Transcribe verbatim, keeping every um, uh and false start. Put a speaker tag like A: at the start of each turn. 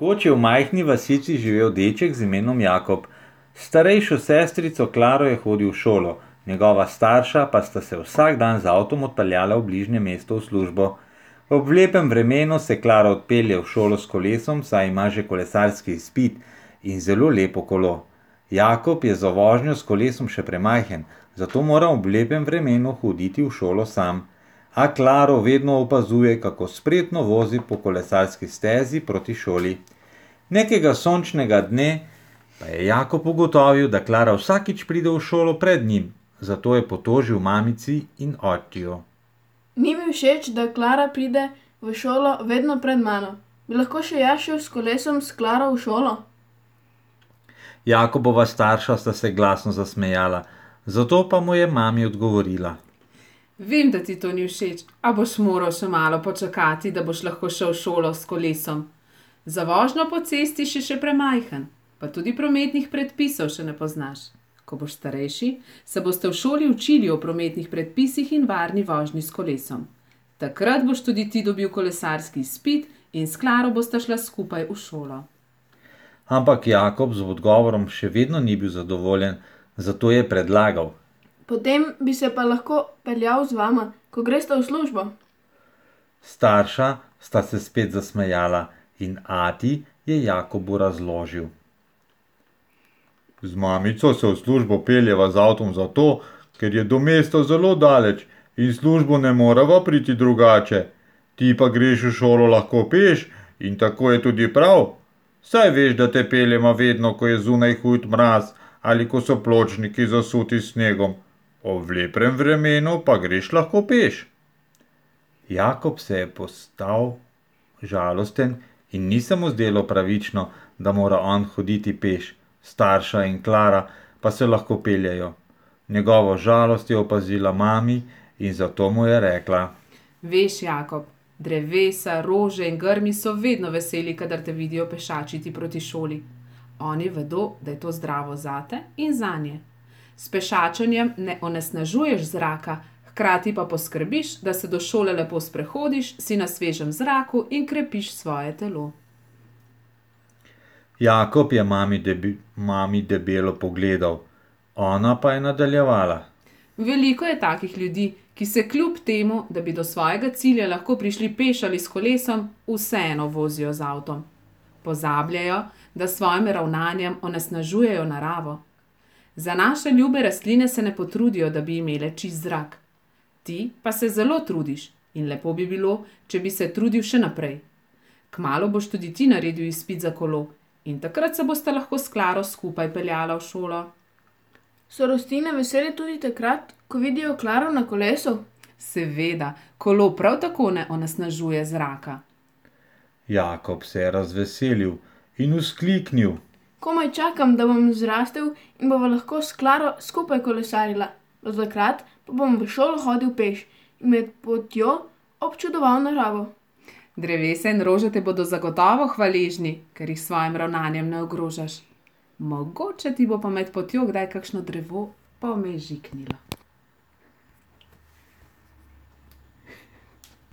A: Nekoč je v majhni vasici živel deček z imenom Jakob. S starejšo sestrico Klaro je hodil v šolo, njegova starša pa sta se vsak dan z avtom odpeljala v bližnje mesto v službo. Ob lepem vremenu se Klara odpelje v šolo s kolesom, saj ima že kolesarski izpit in zelo lepo kolo. Jakob je za vožnjo s kolesom še premajhen, zato mora ob lepem vremenu hoditi v šolo sam. A Klaro vedno opazuje, kako spretno vozi po kolesarski stezi proti šoli. Nekega sončnega dne pa je Jakob ugotovil, da Klara vsakič pride v šolo pred njim, zato je potožil mamici in očiju.
B: Ni mi všeč, da Klara pride v šolo vedno pred mano. Bi lahko še jaz šel s kolesom s Klaro v šolo?
A: Jakobova starša sta se glasno zasmejala, zato pa mu je mami odgovorila.
C: Vem, da ti to ni všeč, a boš moral še malo počakati, da boš lahko šel v šolo s kolesom. Za vožnjo po cesti si še premajhen, pa tudi prometnih predpisov še ne poznaš. Ko boš starejši, se boste v šoli učili o prometnih predpisih in varni vožnji s kolesom. Takrat boš tudi ti dobil kolesarski izpit in s Klaro bosta šla skupaj v šolo.
A: Ampak Jakob z odgovorom še vedno ni bil zadovoljen, zato je predlagal.
B: Potem bi se pa lahko peljal z vama, ko gresta v službo.
A: Starša sta se spet zasmejala in ati je Jakobu razložil. Z mamico se v službo peljeva z avtom zato, ker je do mesta zelo daleč in službo ne moreva priti drugače. Ti pa greš v šolo lahko peš in tako je tudi prav. Saj veš, da te peljema vedno, ko je zunaj hud mraz ali ko so pločniki zasuti s snegom. Ob lepem vremenu pa greš lahko peš. Jakob se je postal žalosten in ni se mu zdelo pravično, da mora on hoditi peš, starša in Klara pa se lahko peljejo. Njegovo žalost je opazila mami in zato mu je rekla.
C: Veš, Jakob, drevesa, rože in grmi so vedno veseli, kadar te vidijo pešačiti proti šoli. Oni vedo, da je to zdravo zate in zanje. S pešačenjem ne onesnažuješ zraka, hkrati pa poskrbiš, da se do šole lepo sprehodiš, si na svežem zraku in krepiš svoje telo.
A: Jakob je mami, debi, mami debelo pogledal, ona pa je nadaljevala.
C: Veliko je takih ljudi, ki se kljub temu, da bi do svojega cilja lahko prišli peš ali s kolesom, vseeno vozijo z avtom. Pozabljajo, da s svojim ravnanjem onesnažujejo naravo. Za naše ljube rastline se ne potrudijo, da bi imele čist zrak. Ti pa se zelo trudiš in lepo bi bilo, če bi se trudil še naprej. Kmalu boš tudi ti naredil izpit za kolo in takrat se boste lahko s Klaro skupaj peljala v šolo.
B: So rastline vesele tudi takrat, ko vidijo Klaro na kolesu?
C: Seveda, kolo prav tako ne onesnažuje zraka.
A: Jakob se je razveselil in vzkliknil.
B: Komaj čakam, da bom zrastel in bova lahko s Klaro skupaj kolesarila. Do takrat pa bom v šolo hodil peš in med potjo občudoval naravo.
C: Drevesa in rože te bodo zagotovo hvaležni, ker jih s svojim ravnanjem ne ogrožaš. Mogoče ti bo pa med potjo kdaj kakšno drevo pomežiknilo.